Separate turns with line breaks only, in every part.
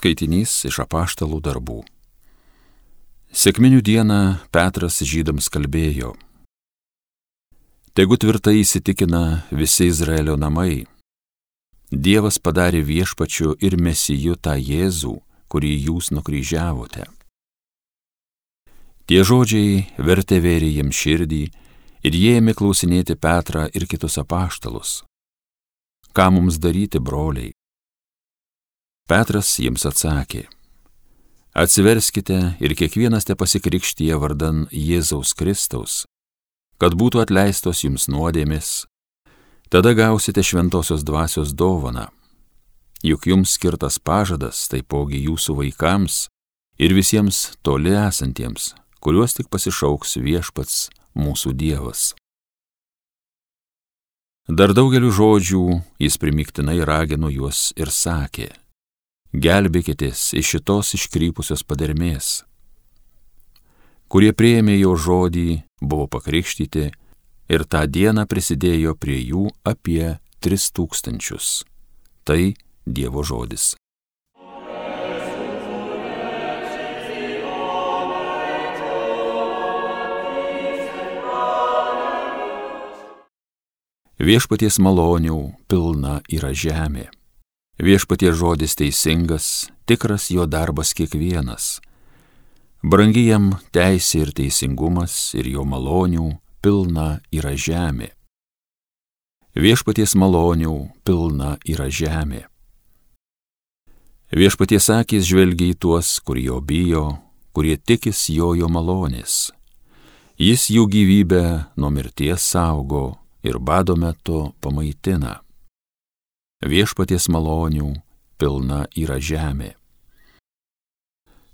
Skaitinys iš Apaštalų darbų. Sekminių dieną Petras žydams kalbėjo: Tegu tvirtai įsitikina visi Izraelio namai. Dievas padarė viešpačiu ir mesiju tą Jėzų, kurį jūs nukryžiavote. Tie žodžiai vertė vėrė jiems širdį ir jie ėmė klausinėti Petrą ir kitus apaštalus: Ką mums daryti, broliai? Petras jiems atsakė: Atsiverskite ir kiekvienas te pasikrikštija vardan Jėzaus Kristaus, kad būtų atleistos jums nuodėmės, tada gausite šventosios dvasios dovaną. Juk jums skirtas pažadas taipogi jūsų vaikams ir visiems toli esantiems, kuriuos tik pasišauks viešpats mūsų Dievas. Dar daugeliu žodžių jis primygtinai ragino juos ir sakė: Gelbėkitės iš šitos iškrypusios padermės. Kurie priėmė jo žodį, buvo pakrikštyti ir tą dieną prisidėjo prie jų apie 3000. Tai Dievo žodis. Viešpaties malonių pilna yra žemė. Viešpaties žodis teisingas, tikras jo darbas kiekvienas. Brangi jam teisė ir teisingumas ir jo malonių pilna yra žemė. Viešpaties malonių pilna yra žemė. Viešpaties akys žvelgia į tuos, kurie jo bijo, kurie tikis jo malonės. Jis jų gyvybę nuo mirties saugo ir bado metu pamaitina. Viešpaties malonių pilna yra žemė.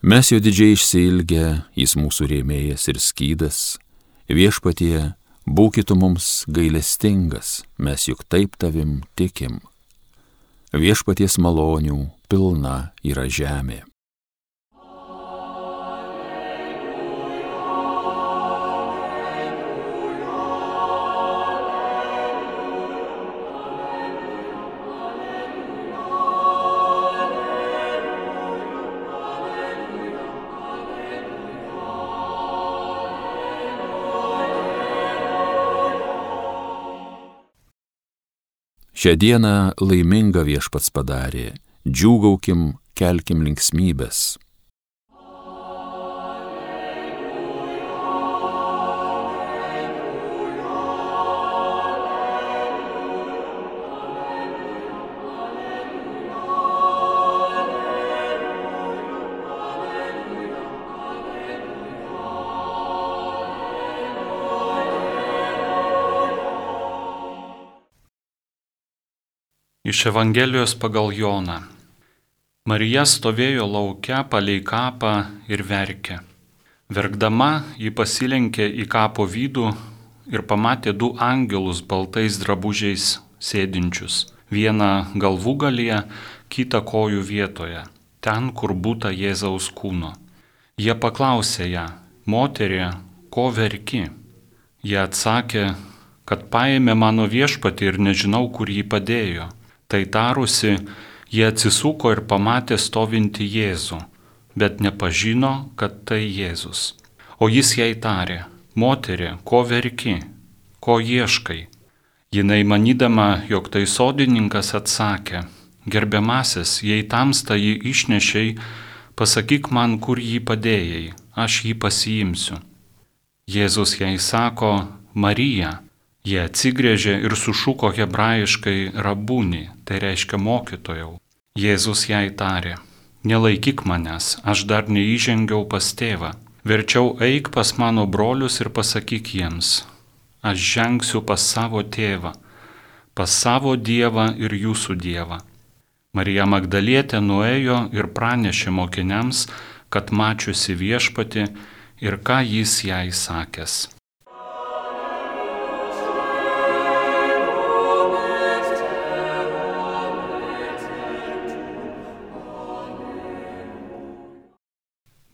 Mes jo didžiai išsiilgę, jis mūsų rėmėjas ir skydas. Viešpatie, būkit mums gailestingas, mes juk taip tavim tikim. Viešpaties malonių pilna yra žemė. Šią dieną laimingą viešpats padarė, džiūgaukim, kelkim linksmybes.
Iš Evangelijos pagal Joną. Marija stovėjo lauke palei kapą ir verkė. Verkdama, ji pasilenkė į kapo vidų ir pamatė 2 angelus baltais drabužiais sėdinčius, vieną galvūgalyje, kitą kojų vietoje, ten, kur būta Jėzaus kūno. Jie paklausė ją: Moterie, ko verki? Jie atsakė, kad paėmė mano viešpatį ir nežinau, kur jį padėjo. Tai tarusi, jie atsisuko ir pamatė stovintį Jėzų, bet nepažino, kad tai Jėzus. O jis jai tarė: Moterie, ko verki, ko ieškai? Jinai manydama, jog tai sodininkas, atsakė: Gerbiamasis, jei tamsta jį išnešei, pasakyk man, kur jį padėjai, aš jį pasiimsiu. Jėzus jai sako: Marija. Jie atsigręžė ir sušuko hebrajiškai rabūni, tai reiškia mokytojau. Jėzus jai tarė: Nelaikyk manęs, aš dar neįžengiau pas tėvą. Verčiau eik pas mano brolius ir pasakyk jiems: Aš žengsiu pas savo tėvą, pas savo Dievą ir jūsų Dievą. Marija Magdalietė nuėjo ir pranešė mokiniams, kad mačiusi viešpatį ir ką jis jai sakęs.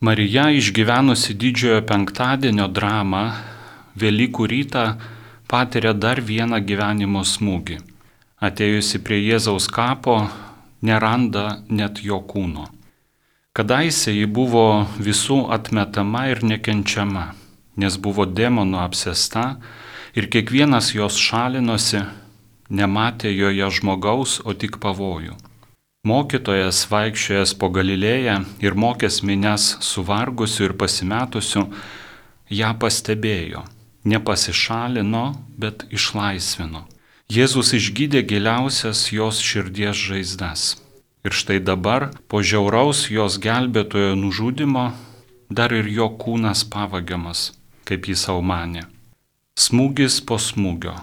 Marija, išgyvenusi didžiojo penktadienio dramą, Velykų rytą patiria dar vieną gyvenimo smūgį. Atėjusi prie Jėzaus kapo, neranda net jo kūno. Kadaise ji buvo visų atmetama ir nekenčiama, nes buvo demonų apsėsta ir kiekvienas jos šalinosi, nematė joje žmogaus, o tik pavojų. Mokytojas vaikščiojęs po Galilėją ir mokęs minias suvargusių ir pasimetusių, ją pastebėjo, nepasišalino, bet išlaisvino. Jėzus išgydė giliausias jos širdies žaizdas. Ir štai dabar, po žiauraus jos gelbėtojo nužudimo, dar ir jo kūnas pavagiamas, kaip jis savo manė. Smūgis po smūgio,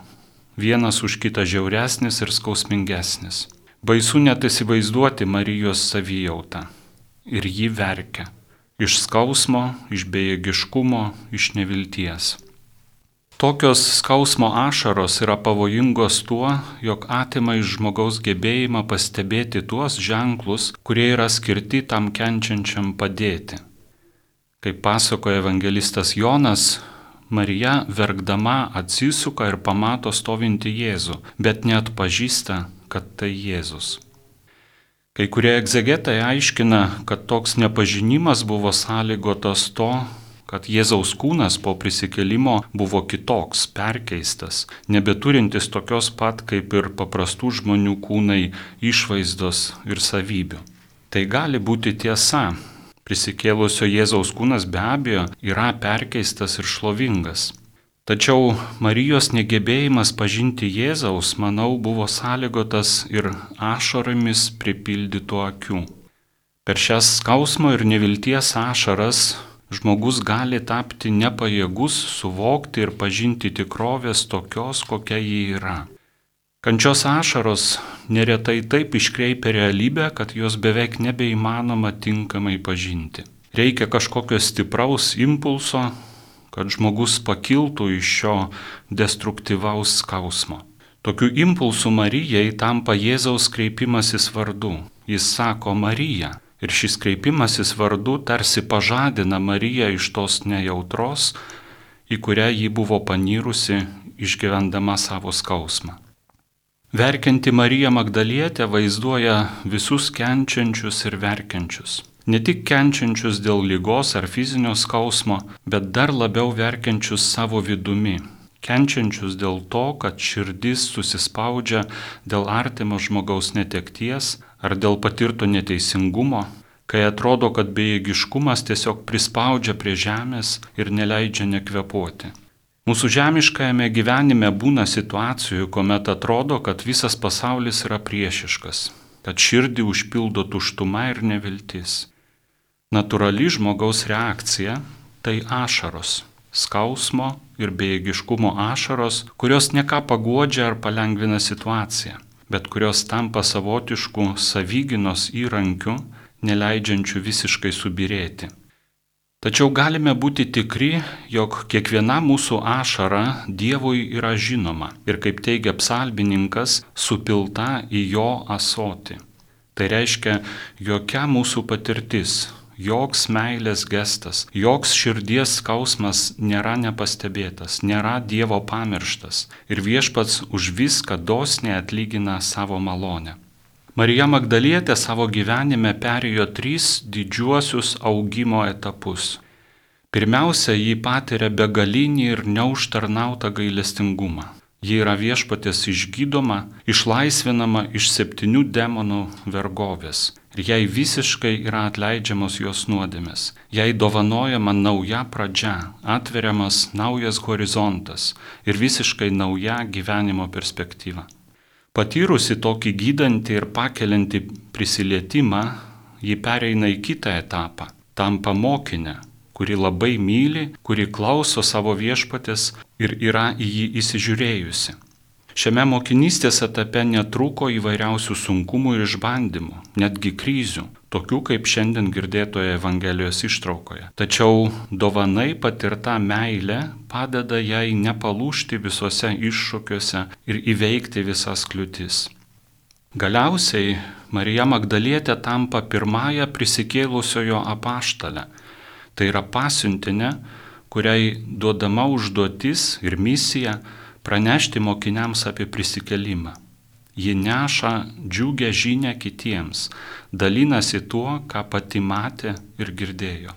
vienas už kitą žiauresnis ir skausmingesnis. Baisu net įsivaizduoti Marijos savijautą. Ir ji verkia. Iš skausmo, iš bejėgiškumo, iš nevilties. Tokios skausmo ašaros yra pavojingos tuo, jog atima iš žmogaus gebėjimą pastebėti tuos ženklus, kurie yra skirti tam kenčiančiam padėti. Kaip pasakoja evangelistas Jonas, Marija verkdama atsisuka ir pamato stovintį Jėzų, bet neatpažįsta, kad tai Jėzus. Kai kurie egzegetai aiškina, kad toks nepažinimas buvo sąlygotas to, kad Jėzaus kūnas po prisikėlimo buvo kitoks, perkeistas, nebeturintis tokios pat kaip ir paprastų žmonių kūnai išvaizdos ir savybių. Tai gali būti tiesa. Prisikėlusio Jėzaus kūnas be abejo yra perkeistas ir šlovingas. Tačiau Marijos negebėjimas pažinti Jėzaus, manau, buvo sąlygotas ir ašaromis pripildytų akių. Per šias skausmo ir nevilties ašaras žmogus gali tapti nepajėgus suvokti ir pažinti tikrovės tokios, kokia ji yra. Kančios ašaros neretai taip iškreipia realybę, kad jos beveik nebeįmanoma tinkamai pažinti. Reikia kažkokio stipraus impulso, kad žmogus pakiltų iš šio destruktyvaus skausmo. Tokiu impulsu Marijai tampa Jėzaus kreipimasis vardu. Jis sako Marija. Ir šis kreipimasis vardu tarsi pažadina Mariją iš tos nejautros, į kurią ji buvo panyrusi, išgyvendama savo skausmą. Verkianti Marija Magdalietė vaizduoja visus kenčiančius ir verkiančius. Ne tik kenčiančius dėl ligos ar fizinio skausmo, bet dar labiau verkiančius savo vidumi. Kenčiančius dėl to, kad širdis susispaudžia dėl artimo žmogaus netekties ar dėl patirto neteisingumo, kai atrodo, kad bejėgiškumas tiesiog prispaudžia prie žemės ir neleidžia nekvėpuoti. Mūsų žemiškajame gyvenime būna situacijų, kuomet atrodo, kad visas pasaulis yra priešiškas, kad širdį užpildo tuštuma ir neviltis. Natūrali žmogaus reakcija – tai ašaros, skausmo ir bejėgiškumo ašaros, kurios ne ką paguodžia ar palengvina situaciją, bet kurios tampa savotišku savygynos įrankiu, neleidžiančiu visiškai subyrėti. Tačiau galime būti tikri, jog kiekviena mūsų ašara Dievui yra žinoma ir, kaip teigia psalmininkas, supilta į jo ąsotį. Tai reiškia, jokia mūsų patirtis, joks meilės gestas, joks širdies skausmas nėra nepastebėtas, nėra Dievo pamirštas ir viešpats už viską dosniai atlygina savo malonę. Marija Magdalietė savo gyvenime perėjo 3 didžiuosius augimo etapus. Pirmiausia, ji patiria begalinį ir neužtarnautą gailestingumą. Ji yra viešpaties išgydoma, išlaisvinama iš 7 demonų vergovės. Ir jai visiškai yra atleidžiamos jos nuodėmės. Jai dovanojama nauja pradžia, atveriamas naujas horizontas ir visiškai nauja gyvenimo perspektyva. Patyrusi tokį gydantį ir pakeliantį prisilietimą, ji pereina į kitą etapą, tampa mokinę, kuri labai myli, kuri klauso savo viešpatės ir yra į jį įsižiūrėjusi. Šiame mokinystės etape netrūko įvairiausių sunkumų ir išbandymų, netgi krizių, tokių kaip šiandien girdėtoje Evangelijos ištraukoje. Tačiau dovanai patirta meilė padeda jai nepalūžti visuose iššūkiuose ir įveikti visas kliūtis. Galiausiai Marija Magdalietė tampa pirmąją prisikėlusiojo apaštalę. Tai yra pasiuntinė, kuriai duodama užduotis ir misija pranešti mokiniams apie prisikėlimą. ji neša džiugę žinią kitiems, dalinasi tuo, ką pati matė ir girdėjo.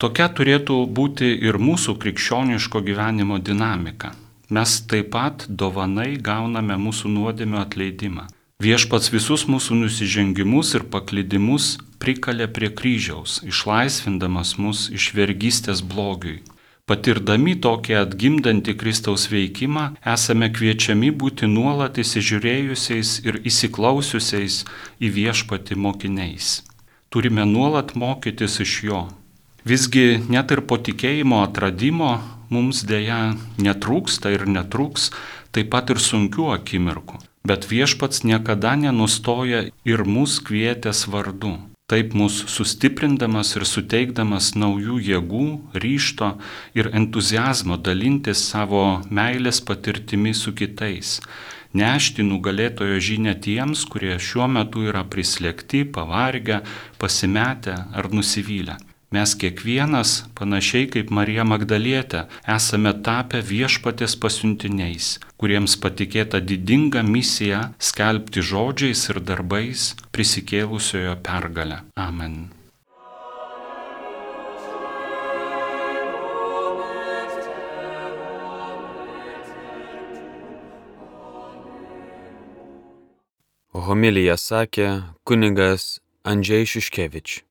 Tokia turėtų būti ir mūsų krikščioniško gyvenimo dinamika. Mes taip pat dovanai gauname mūsų nuodėmių atleidimą. Viešpats visus mūsų nusižengimus ir paklydimus prikalė prie kryžiaus, išlaisvindamas mus iš vergystės blogiui. Patirdami tokį atgimdantį Kristaus veikimą, esame kviečiami būti nuolat įsižiūrėjusiais ir įsiklausiusiais į viešpatį mokiniais. Turime nuolat mokytis iš jo. Visgi net ir po tikėjimo atradimo mums dėja netrūksta ir netrūks taip pat ir sunkių akimirkų. Bet viešpats niekada nenustoja ir mus kvietęs vardu. Taip mus sustiprindamas ir suteikdamas naujų jėgų, ryžto ir entuziazmo dalintis savo meilės patirtimi su kitais, nešti nugalėtojo žinią tiems, kurie šiuo metu yra prislėgti, pavargę, pasimetę ar nusivylę. Mes kiekvienas, panašiai kaip Marija Magdalietė, esame tapę viešpatės pasiuntiniais, kuriems patikėta didinga misija skelbti žodžiais ir darbais prisikėlusiojo pergalę. Amen.
Homiliją sakė kunigas Andžej Šiškevič.